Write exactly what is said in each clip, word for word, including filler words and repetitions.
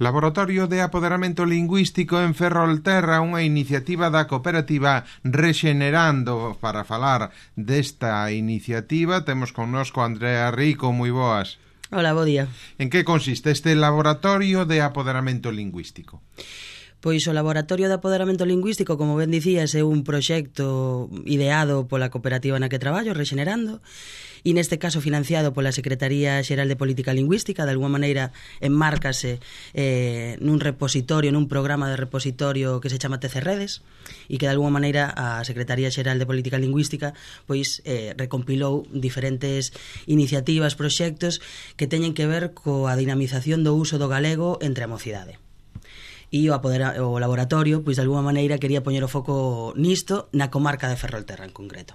Laboratorio de Apoderamento Lingüístico en Ferrolterra, unha iniciativa da cooperativa Rexenerando. Para falar desta iniciativa temos connosco Andrea Rico, moi boas. Hola, bo día. En que consiste este Laboratorio de Apoderamento Lingüístico? Pois o Laboratorio de Apoderamento Lingüístico, como ben dicías, é un proxecto ideado pola cooperativa na que traballo, Rexenerando, e neste caso financiado pola Secretaría Xeral de Política Lingüística. De alguma maneira enmárcase eh, nun repositorio, nun programa de repositorio que se chama T C Redes, e que de alguma maneira a Secretaría Xeral de Política Lingüística pois eh, recompilou diferentes iniciativas, proxectos que teñen que ver coa dinamización do uso do galego entre a mocidade. E o, apodera, o laboratorio, pois de alguma maneira quería poñer o foco nisto na comarca de Ferrolterra en concreto.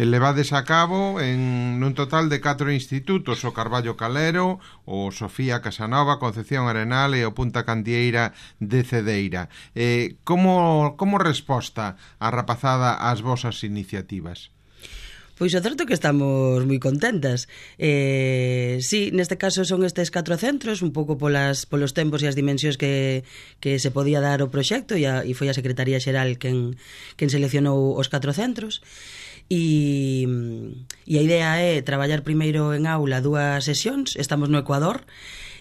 E levades a cabo en nun total de catro institutos: o Carballo Calero, o Sofía Casanova, Concepción Arenal e o Punta Candieira de Cedeira. Eh, como, como resposta a rapazada ás vosas iniciativas? Pois o certo que estamos moi contentas. Eh, sí, neste caso son estes catro centros, un pouco polas, polos tempos e as dimensións que, que se podía dar o proxecto, e, a, e foi a Secretaría Xeral quen, quen seleccionou os catro centros. E, e a idea é traballar primeiro en aula dúas sesións. Estamos no Ecuador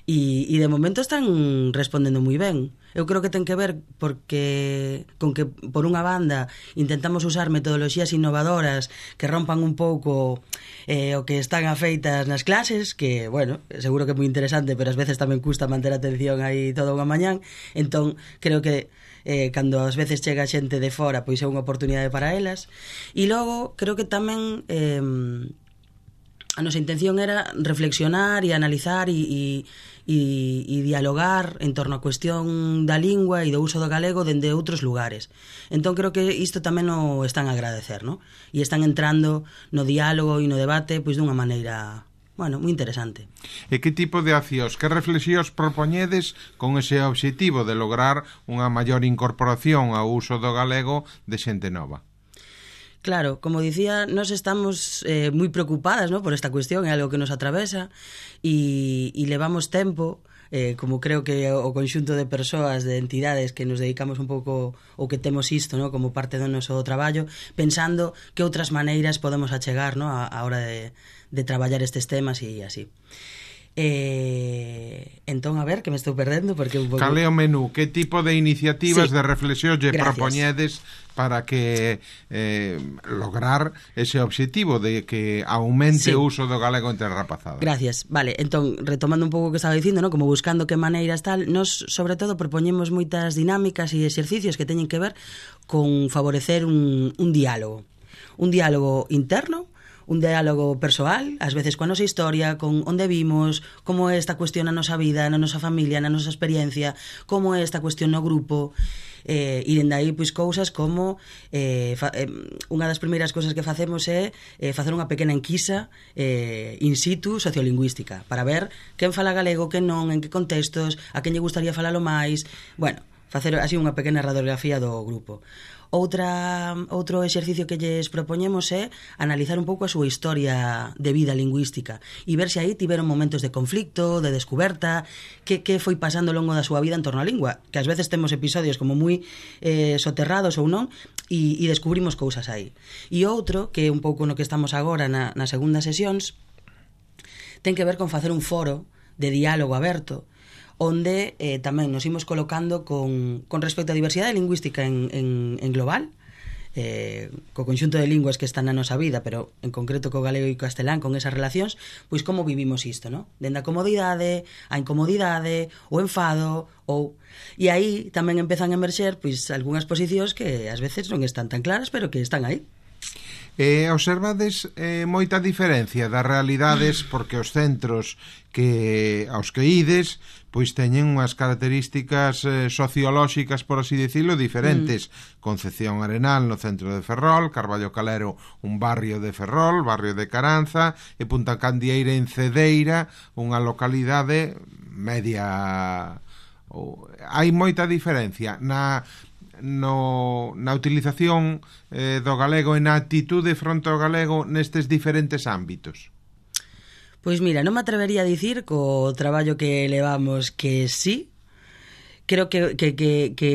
e, e de momento están respondendo moi ben. Eu creo que ten que ver porque con que, por unha banda, intentamos usar metodoloxías innovadoras que rompan un pouco eh, o que están afeitas nas clases, que, bueno, seguro que é moi interesante, pero ás veces tamén custa manter a atención aí toda unha mañán. Entón, creo que eh, cando ás veces chega xente de fora, pois é unha oportunidade para elas. E logo, creo que tamén eh, a nosa intención era reflexionar e analizar e, e E, e dialogar en torno á cuestión da lingua e do uso do galego dende outros lugares. Entón creo que isto tamén o están a agradecer, ¿no? E están entrando no diálogo e no debate pois dunha maneira, bueno, moi interesante. E que tipo de accións, que reflexións propoñedes con ese obxectivo de lograr unha maior incorporación ao uso do galego de xente nova? Claro, como dicía, nos estamos eh, moi preocupadas, ¿no?, por esta cuestión, é algo que nos atravesa e, e levamos tempo, eh, como creo que o conxunto de persoas, de entidades que nos dedicamos un pouco ou que temos isto, ¿no?, como parte do noso traballo, pensando que outras maneiras podemos achegar, ¿no?, a, a hora de, de traballar estes temas e así. Eh, entón, a ver, que me estou perdendo porque un pouco... Cal é o menú? Que tipo de iniciativas, sí, de reflexión lle Gracias. propoñedes para que eh, lograr ese obxectivo de que aumente, sí, o uso do galego entre a rapazada? Gracias. Vale, entón, retomando un pouco o que estaba dicindo, ¿no?, como buscando que maneiras tal, nos sobre todo propoñemos moitas dinámicas e exercicios que teñen que ver con favorecer un, un diálogo. Un diálogo interno, un diálogo persoal, ás veces coa nosa historia, con onde vimos, como é esta cuestión na nosa vida, na nosa familia, na nosa experiencia, como é esta cuestión no grupo, eh, e dende aí pois cousas como eh, fa, eh, unha das primeiras cousas que facemos é eh, facer unha pequena enquisa eh, in situ sociolingüística para ver quen fala galego, quen non, en que contextos, a quen lle gustaría falalo máis, bueno, facer así unha pequena radiografía do grupo. Outra, outro exercicio que lles propoñemos é analizar un pouco a súa historia de vida lingüística e ver se aí tiveron momentos de conflicto, de descuberta, que, que foi pasando ao longo da súa vida en torno á lingua, que ás veces temos episodios como moi eh, soterrados ou non, e, e descubrimos cousas aí. E outro, que é un pouco no que estamos agora na, na segunda sesións, ten que ver con facer un foro de diálogo aberto, onde eh, tamén nos imos colocando con, con respecto á diversidade lingüística en, en, en global, eh, co conxunto de linguas que están na nosa vida, pero en concreto co galego e co castelán, con esas relacións, pois como vivimos isto, ¿no? Dende a comodidade, a incomodidade, o enfado, ou... E aí tamén empezan a emerxer pois algunhas posicións que ás veces non están tan claras, pero que están aí. Eh, observades eh, moita diferencia das realidades, porque os centros que aos que ides pois teñen unhas características eh, sociolóxicas, por así dicilo, diferentes. Mm. Concepción Arenal no centro de Ferrol, Carballo Calero un barrio de Ferrol, barrio de Caranza, e Punta Candieira en Cedeira, unha localidade media. Oh, hai moita diferencia na no, na utilización eh, do galego e na actitude fronte ao galego nestes diferentes ámbitos. Pois mira, non me atrevería a dicir co traballo que levamos que sí, creo que, que, que, que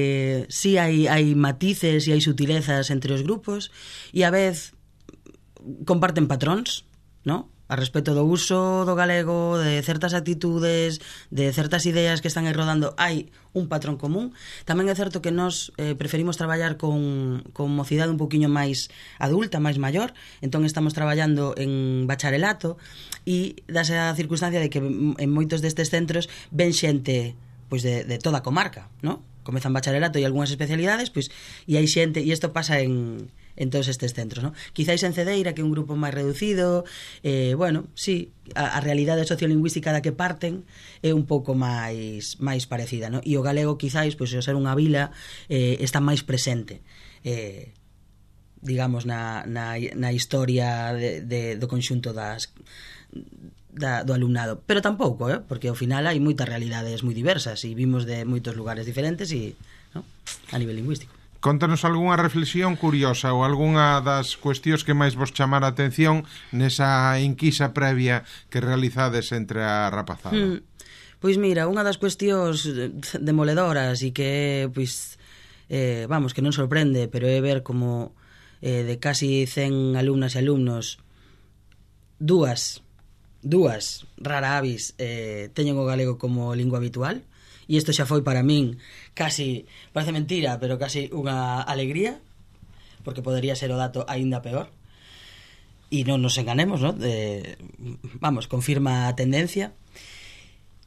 sí hai, hai matices e hai sutilezas entre os grupos e a vez comparten patróns, ¿no? A respecto do uso do galego, de certas actitudes, de certas ideas que están aí rodando, hai un patrón común. Tamén é certo que nós eh, preferimos traballar con, con mocidade un poquinho máis adulta, máis maior, entón estamos traballando en bacharelato e dase a circunstancia de que en moitos destes centros ven xente pois de, de toda a comarca, ¿no? Comezan bacharelato e algunhas especialidades, pois, e hai xente, e isto pasa en en todos estes centros, ¿no? Quizáis en Cedeira, que é un grupo máis reducido, eh, bueno, sí, a, a realidade sociolingüística da que parten é un pouco máis máis parecida, ¿no? E o galego quizáis, pois, ao ser unha vila, eh, está máis presente, eh, digamos, na, na, na historia de, de, do conxunto das da, do alumnado, pero tampouco, eh? Porque ao final hai moitas realidades moi diversas e vimos de moitos lugares diferentes e, ¿no? A nivel lingüístico. Contanos algunha reflexión curiosa ou algunha das cuestións que máis vos chamara a atención nesa inquisa previa que realizades entre a rapazada. Hmm. Pois mira, unha das cuestións demoledoras e que, pois, eh, vamos, que non sorprende, pero é ver como eh, de casi cen alumnas e alumnos dúas, dúas rara avis eh, teñen o galego como lingua habitual. E isto xa foi para min casi, parece mentira, pero casi unha alegría, porque podería ser o dato aínda peor. E non nos enganemos, ¿no? De, vamos, confirma a tendencia.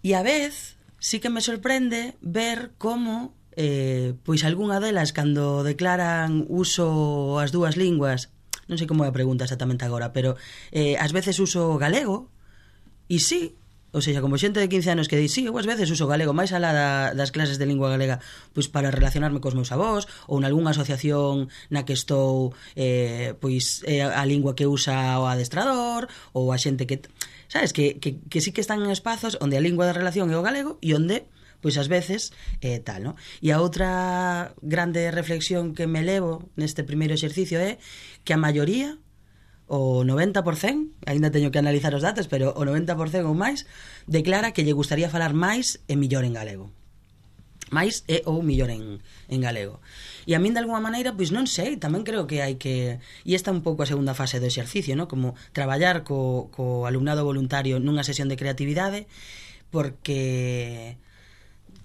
E a vez, sí que me sorprende ver como eh, pois algunha delas, cando declaran uso as dúas linguas, non sei como é a pregunta exactamente agora, pero eh, ás veces uso galego, e sí, ou seja, como xente de quince anos que di, sí, eu ás veces uso galego máis alá da, das clases de lingua galega pois para relacionarme cos meus avós ou nalgunha asociación na que estou eh, pois é a lingua que usa o adestrador ou a xente que, sabes, que, que, que sí que están en espazos onde a lingua de relación é o galego e onde pois ás veces eh, tal, ¿no? E a outra grande reflexión que me levo neste primeiro exercicio é que a maioría, o noventa por cento, aínda teño que analizar os datos, pero o noventa por cento ou máis declara que lle gustaría falar máis e millor en galego. Máis e ou millor en, en galego. E a min, de alguma maneira, pois non sei, tamén creo que hai que... E esta é un pouco a segunda fase do exercicio, ¿no? Como traballar co, co alumnado voluntario nunha sesión de creatividade, porque...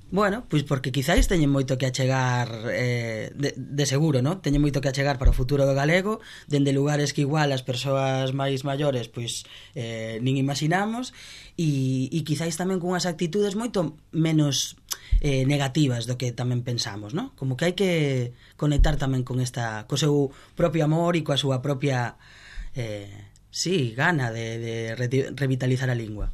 Bueno, pois porque quizáis teñen moito que achegar eh, de, de seguro, ¿no? Teñen moito que achegar para o futuro do galego, dende lugares que igual as persoas máis maiores pois eh, nin imaginamos e, e quizáis tamén cunhas actitudes moito menos eh, negativas do que tamén pensamos, ¿no? Como que hai que conectar tamén con esta, co seu propio amor e coa súa propia eh, sí, gana de, de revitalizar a lingua.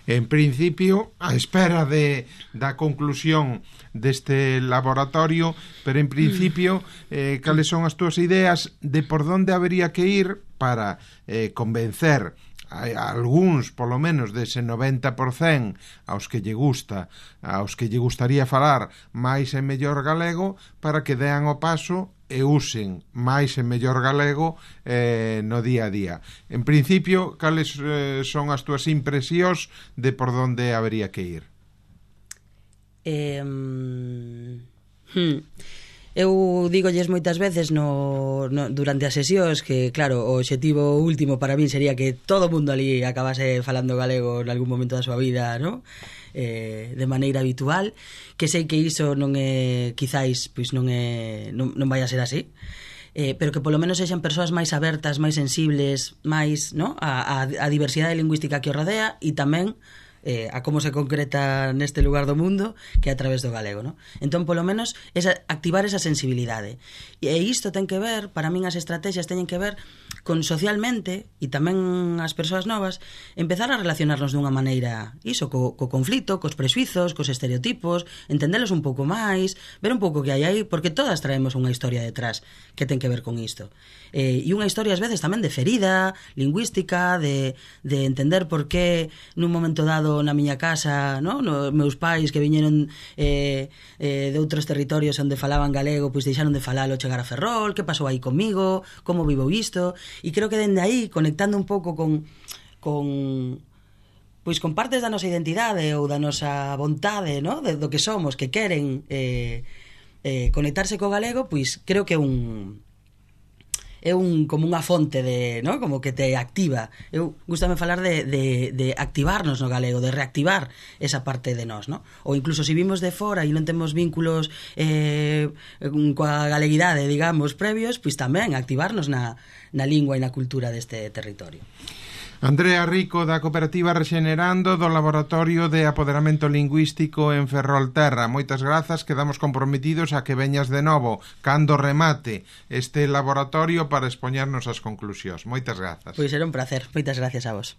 En principio, a espera de da conclusión deste laboratorio, pero en principio, eh, cales son as túas ideas de por onde habería que ir para eh, convencer a, a algúns, polo menos, dese noventa por cento aos que lle gusta, aos que lle gustaría falar máis e mellor galego, para que dean o paso e usen máis e mellor galego eh, no día a día. En principio, cales eh, son as túas impresións de por onde habería que ir? Eh, hmm, eu dígolles moitas veces no, no, durante as sesións que, claro, o obxectivo último para min sería que todo o mundo ali acabase falando galego en algún momento da súa vida, ¿no? Eh, de maneira habitual, que sei que iso non é, quizáis, pois non é, non, non vai a ser así, eh, pero que polo menos sexan persoas máis abertas, máis sensibles, máis, ¿no? a, a, a diversidade lingüística que o rodea e tamén eh, a como se concreta neste lugar do mundo, que é a través do galego, ¿no? Entón, polo menos, esa, activar esa sensibilidade. E isto ten que ver, para min as estrategias teñen que ver con socialmente, e tamén as persoas novas, empezar a relacionarnos dunha maneira, iso, co, co conflito, cos prexuizos, cos estereotipos, entendelos un pouco máis, ver un pouco que hai aí, porque todas traemos unha historia detrás que ten que ver con isto. Eh, e unha historia, ás veces, tamén de ferida, lingüística, de, de entender por que nun momento dado na miña casa, no? Nos meus pais que viñeron eh, eh, de outros territorios onde falaban galego, pois deixaron de falalo chegar a Ferrol, que pasou aí comigo, como vivo isto, e creo que dende aí, conectando un pouco con, con pois con partes da nosa identidade ou da nosa vontade, no? De, do que somos, que queren eh, eh, conectarse co galego, pois creo que é un é un como unha fonte de, no? Como que te activa. Eu gustame falar de, de, de activarnos no galego, de reactivar esa parte de nós, no? Ou incluso se vimos de fora e non temos vínculos eh, coa galeguidade, digamos, previos, pois tamén activarnos na, na lingua e na cultura deste territorio. Andrea Rico, da Cooperativa Rexenerando, do Laboratorio de Apoderamento Lingüístico en Ferrolterra. Moitas grazas, quedamos comprometidos a que veñas de novo cando remate este laboratorio para expoñernos as conclusións. Moitas grazas. Pois era un placer. Moitas gracias a vos.